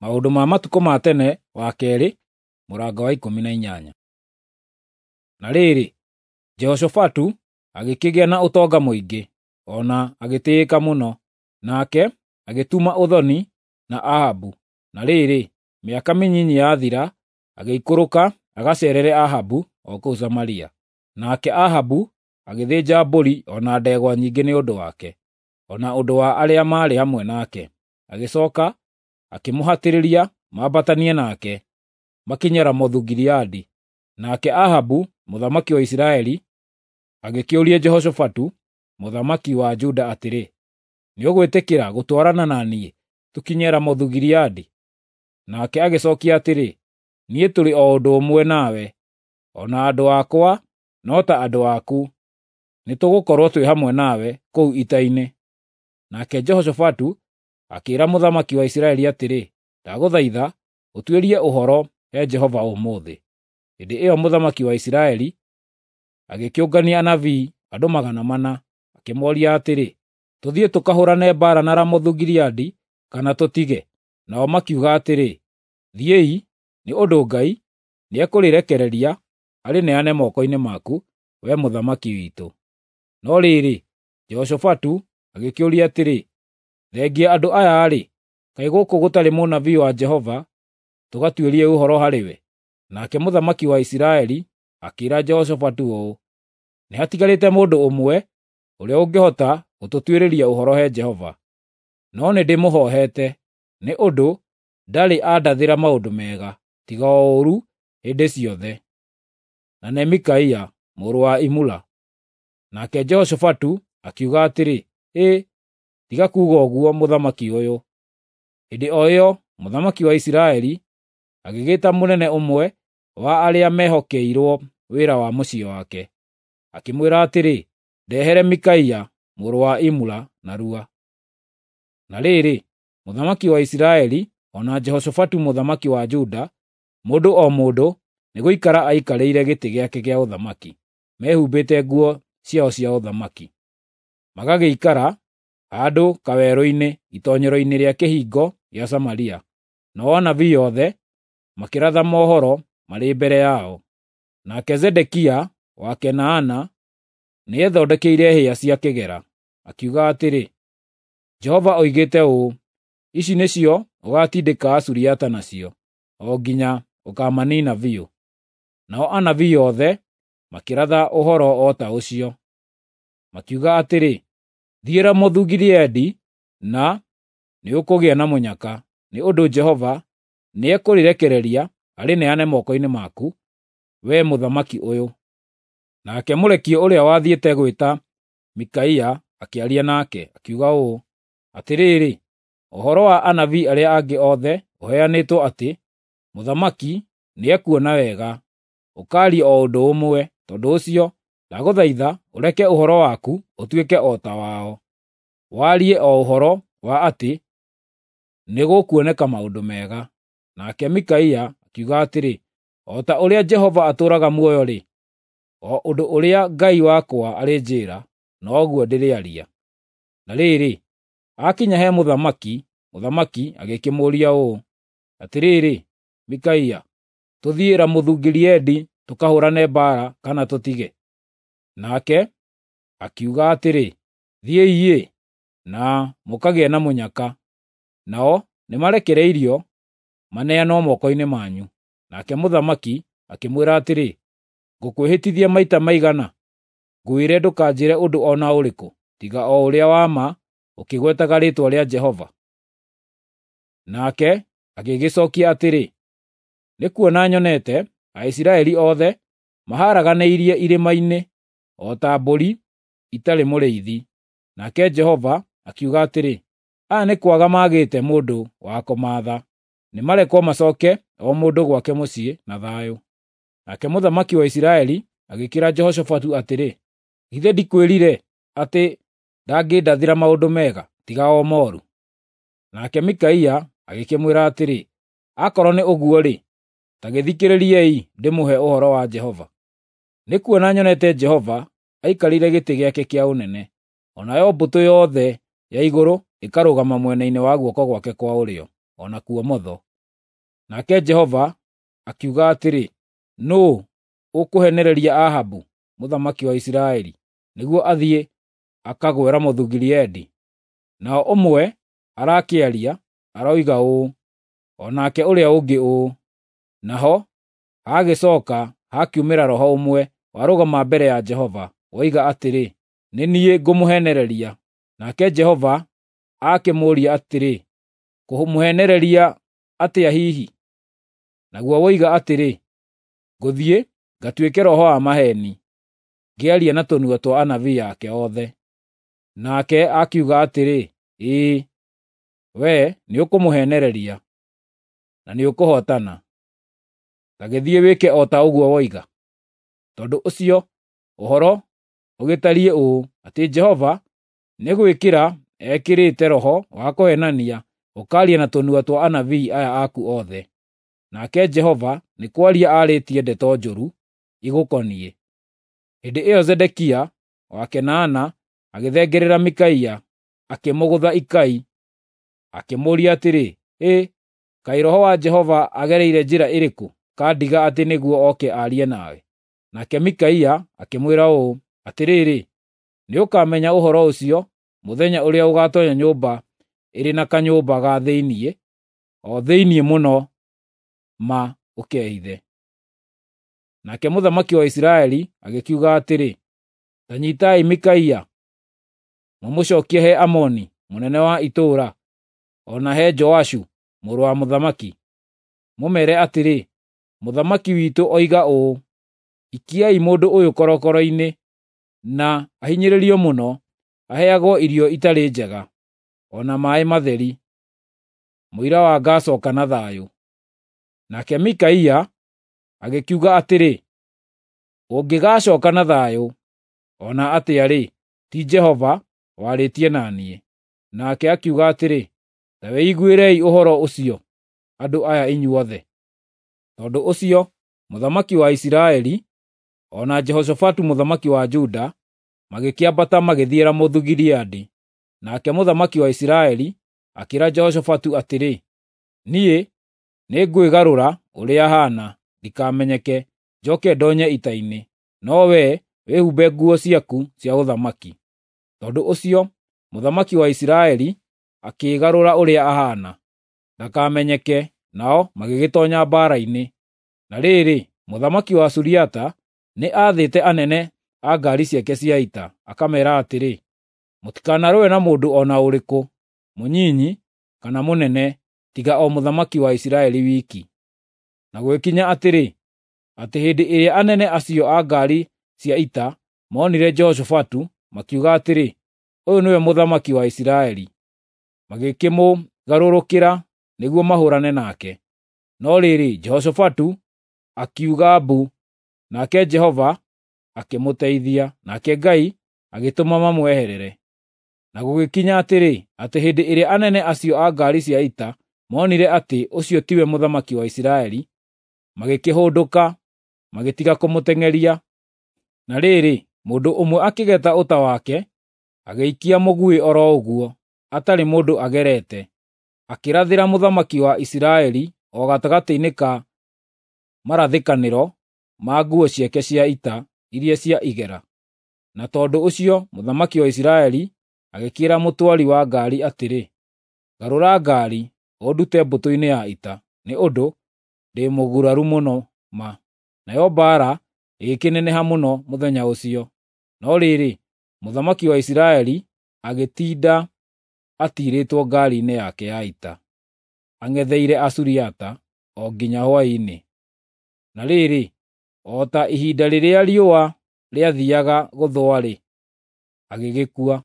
Maũndũ ma Matukũ ma Tene wa kerĩ, mũrango wa 18. Na rĩrĩ, Jehoshafatu agĩkĩgĩa na ũtonga mũingĩ, o na agĩtĩĩka mũno, nake agĩtuma ũthoni na Ahabu. Na rĩrĩ, mĩaka mĩnyinyi yathira, agĩikũrũka agaceerere Ahabu o kũu Samaria. Nake Ahabu agĩthĩnja mbũri o na ndegwa nyingĩ nĩ ũndũ wake, o na ũndũ wa arĩa maarĩ hamwe nake. Agĩcooka akĩmũhatĩrĩria mambatanie nake, makinye Ramothu-Gileadi. Nake Ahabu mũthamaki wa Isiraeli agĩkĩũria Jehoshafatu mũthamaki wa Juda atĩrĩ, “Nĩũgwĩtĩkĩra gũtwarana na niĩ tũkinye Ramothu-Gileadi?” Nake agĩcookia atĩrĩ, “Niĩ tũrĩ o ũndũ ũmwe nawe, o na andũ akwa no ta andũ aku, nĩtũgũkorwo twĩ hamwe nawe kũu ita-inĩ.” Nake Jehoshafatu akĩĩra mũthamaki wa Isiraeli atĩrĩ, “Ndagũthaitha ũtuĩrie ũhoro he Jehova ũmũthĩ.” Hĩndĩ ĩyo mũthamaki wa Isiraeli agĩkĩũngania anabii andũ 400, akĩmooria atĩrĩ, “Tũthiĩ tũkahũũrane mbaara na Ramothu-Gileadi kana tũtige?” Nao makiuga atĩrĩ, “Thiĩi, nĩ ũndũ Ngai nĩekũrĩrekereria arĩneane moko-inĩ maku, wee mũthamaki witũ.” No rĩrĩ, Jehoshafatu agĩkĩũria atĩrĩ, “Thengia andũ aya-rĩ, kaĩ gũkũ gũtarĩ mũnabii wa Jehova tũgatuĩrie ũhoro harĩ we?” Nake mũthamaki wa Isiraeli akĩĩra Jehoshafatu ũũ, “Nĩhatigarĩte mũndũ ũmwe ũrĩa ũngĩhota gũtũtuĩrĩria ũhoro he Jehova, no nĩndĩmũhoohete, nĩ ũndũ ndarĩ andathĩra maũndũ mega, tiga o ũũru hĩndĩ ciothe, na nĩ Mikaia mũrũ wa Imula.” Nake Jehoshafatu akiuga atĩrĩ, “Hĩ, tiga kuuga ũguo mũthamaki ũyũ.” Hĩndĩ o ĩyo mũthamaki wa Isiraeli agĩgĩta mũnene ũmwe wa arĩa mehokeirwo wĩra wa mũciĩ wake, akĩmwĩra atĩrĩ, “Ndehere Mikaia mũrũ wa Imula narua.” Na rĩrĩ, mũthamaki wa Isiraeli o na Jehoshafatu mũthamaki wa Juda, mũndũ o mũndũ nĩgũikara aikarĩire gĩtĩ gĩake gĩa ũthamaki, mehumbĩte nguo ciao cia ũthamaki. Magagĩikara handũ kawerũ-inĩ itoonyero-inĩ rĩa kĩhingo gĩa Samaria, nao anabii othe makĩratha mohoro marĩ mbere yao. Nake Zedekia wa Kenaana nĩethondekeire hĩa cia kĩgera, akiuga atĩrĩ, “Jehova oigĩte ũũ, ‘Ici nĩcio ũgaatindĩka Asuriata nacio, o nginya ũkaamaniina biũ.’ ” Nao anabii othe makĩratha ũhoro o ta ũcio, makiuga atĩrĩ, “Thiĩ Ramothu-Gileadi na nĩũkũgĩa na mũnyaka, nĩ ũndũ Jehova nĩekũrĩrekereria arĩneane moko-inĩ maku, wee mũthamaki ũyũ.” Nake mũrekio ũrĩa wathiĩte gwĩta Mikaia akĩaria nake, akiuga ũũ, “Atĩrĩrĩ, ũhoro wa anabii arĩa angĩ othe ũheanĩtwo atĩ mũthamaki nĩekuona wega, ũkaaria o ũndũ ũmwe. Tondũ ũcio, ndagũthaitha ũreke ũhoro waku ũtuĩke o ta wao, warie o ũhoro wa atĩ nĩgũkuoneka maũndũ mega.” Nake Mikaia akiuga atĩrĩ, “O ta ũrĩa Jehova atũũraga muoyo-rĩ, o ũndũ ũrĩa Ngai wakwa arĩnjĩĩra, noguo ndĩrĩaria.” Na rĩrĩ, aakinya he mũthamaki, mũthamaki agĩkĩmũũria ũũ, “Atĩrĩrĩ, Mikaia, tũthiĩ Ramothu-Gileadi tũkahũũrane mbaara kana tũtige?” Nake akiuga atĩrĩ, “Thiĩi-ĩ, na mũkagĩe na mũnyaka, nao nĩmarekereirio maneanwo moko-inĩ manyu.” Nake mũthamaki akĩmwĩra atĩrĩ, “Ngũkwĩhĩtithia maita maigana ngwĩre ndũkanjĩre ũndũ o na ũrĩkũ tiga o ũrĩa wa ma ũkĩgwetaga rĩĩtwa rĩa Jehova?” Nake agĩgĩcookia atĩrĩ, “Nĩkuona nyonete Aisiraeli othe maharaganĩirie irĩma-inĩ o ta mbũri itarĩ mũrĩithi.” Nake Jehova akiuga atĩrĩ, “Aya nĩ kwaga maagĩte mũndũ wa kũmaatha. Nĩmarekwo macooke o mũndũ gwake mũciĩ na thayũ.” Nake mũthamaki wa Isiraeli agĩkĩĩra Jehoshafatu atĩrĩ, “Githĩ ndikwĩrire atĩ ndangĩndathĩra maũndũ mega, tiga o mooru?” Nake Mikaia agĩkĩmwĩra atĩrĩ, “Akorwo nĩ ũguo-rĩ, ta gĩthikĩrĩriei ndĩmũhe ũhoro wa Jehova. Nĩkuona nyonete Jehova aikarĩire gĩtĩ gĩake kĩa ũnene, o nayo mbũtũ yothe ya igũrũ ĩkarũgama mwena-inĩ wa guoko gwake kwa ũrĩo, o na kuomotho. Nake Jehova akiuga atĩrĩ, “Nũũ ũkũheenereria Ahabu mũthamaki wa Isiraeli nĩguo athiĩ akagũe Ramothu-Gileadi?” Nao ũmwe arakĩaria, aroiga ũũ, o nake ũrĩa ũngĩ ũũ. Naho hagĩcooka hakiumĩra roho ũmwe warũgama mbere ya Jehova, woiga atĩrĩ, “Nĩ niĩ ngũmũheenereria.” Nake Jehova akĩmũũria atĩrĩ, “Kũmũheenereria atĩa hihi?” Naguo woiga atĩrĩ, “Ngũthiĩ ngatuĩke roho wa maheeni, ngĩaria na tũnua twa anabii ake othe.” Nake akiuga atĩrĩ, “Ĩĩ, wee nĩũkũmũheenereria, na nĩũkũhootana. Ta gĩthiĩ wĩke o ta ũguo woiga.” Tondũ ũcio ũhoro ũgĩtariĩ ũũ, atĩ Jehova nĩ gwĩkĩra ekĩrĩte roho wa kũheenania ũkaaria na tũnua twa anabii aya aku othe. Nake Jehova nĩ kwaria aarĩtie ndeto njũru igũkoniĩ. Hĩndĩ ĩyo Zedekia wa Kenaana agĩthengerera Mikaia, akĩmũgũtha ikai, akĩmũũria atĩrĩ, “Hĩ, kaĩ Roho wa Jehova agereire njĩra ĩrĩkũ kandiga atĩ nĩguo oke aarie nawe?” Nake Mikaia akĩmwĩra ũũ, “Atĩrĩrĩ, nĩũkamenya ũhoro ũcio mũthenya ũrĩa ũgaatoonya nyũmba ĩrĩ na kanyũmba ga thĩinĩ, o thĩinĩ mũno ma ũkehithe.” Nake mũthamaki wa Isiraeli agĩkiuga atĩrĩ, “Ta nyiitai Mikaia, mũmũcookie he Amoni mũnene wa itũũra, o na he Joashu mũrũ wa mũthamaki, mũmeere atĩrĩ, ‘Mũthamaki witũ oiga ũũ: Ikiai mũndũ ũyũ korokoro-inĩ, na ahinyĩrĩrio mũno, aheagwo irio itarĩ njega, o na maaĩ matheri. Mũira wa ngaacooka na thayũ.’ ” Nake Mikaia agĩkiuga atĩrĩ, “Ũngĩgaacooka na thayũ o na atĩa-rĩ, ti Jehova warĩtie na niĩ.” Nake akiuga atĩrĩ, “Ta wĩiguĩrei ũhoro ũcio, andũ aya inyuothe.” Tondũ ũcio mũthamaki wa Isiraeli o na Jehoshafatu mũthamaki wa Juda magĩkĩambata magĩthiĩ Ramothu-Gileadi. Nake mũthamaki wa Isiraeli akĩĩra Jehoshafatu atĩrĩ, “Niĩ nĩngwĩgarũra ũrĩa haana ndikamenyeke, njooke ndoonye ita-inĩ, no wee wĩhumbe nguo ciaku cia ũthamaki.” Tondũ ũcio mũthamaki wa Isiraeli akĩĩgarũra ũrĩa ahaana, ndakamenyeke, nao magĩgĩtoonya mbaara-inĩ. Na rĩrĩ, mũthamaki wa Suriata nĩ aathĩte anene a ngaari ciake cia ita, akameera atĩrĩ, “Mũtikanarũe na mũndũ o na ũrĩkũ, mũnyinyi kana mũnene, tiga o mũthamaki wa Isiraeli wiki.” Na gũgĩkinya atĩrĩ, atĩ hĩndĩ ĩrĩa anene acio a ngaari cia ita moonire Jehoshafatu, makiuga atĩrĩ, “Ũyũ nĩwe mũthamaki wa Isiraeli.” Magĩkĩmũgarũrũkĩra nĩguo mahũũrane nake. No rĩrĩ, Jehoshafatu akiuga mbu, nake Jehova akĩmũteithia, nake Ngai agĩtũma mamweherere. Na gũgĩkinya atĩrĩ, atĩ hĩndĩ ĩrĩa anene acio a ngaari cia ita moonire atĩ ũcio tiwe mũthamaki wa Isiraeli, magĩkĩhũndũka, magĩtiga kũmũteng'eria. Na rĩrĩ, mũndũ ũmwe akĩgeta ũta wake, agĩikia mũguĩ o ro ũguo, atarĩ mũndũ agerete, akĩrathĩra mũthamaki wa Isiraeli o gatagatĩ-inĩ ka marathĩkanĩro ma nguo ciake cia ita iria cia igera. Na tondũ ũcio mũthamaki wa Isiraeli agĩkĩĩra mũtwari wa ngaari atĩrĩ, “Garũra ngaari, ũndute mbũtũ-inĩ ya ita, nĩ ũndũ ndĩ mũguraru mũno ma.” Nayo mbaara ĩgĩkĩneneha mũno mũthenya ũcio. No rĩrĩ, mũthamaki wa Isiraeli agĩtinda atiirĩtwo ngaari-inĩ yake ya ita, ang'etheire Asuriata o nginya hwaĩ-inĩ. Na rĩrĩ, o ta ihinda rĩrĩa riũa rĩathiiaga gũthũa-rĩ, agĩgĩkua.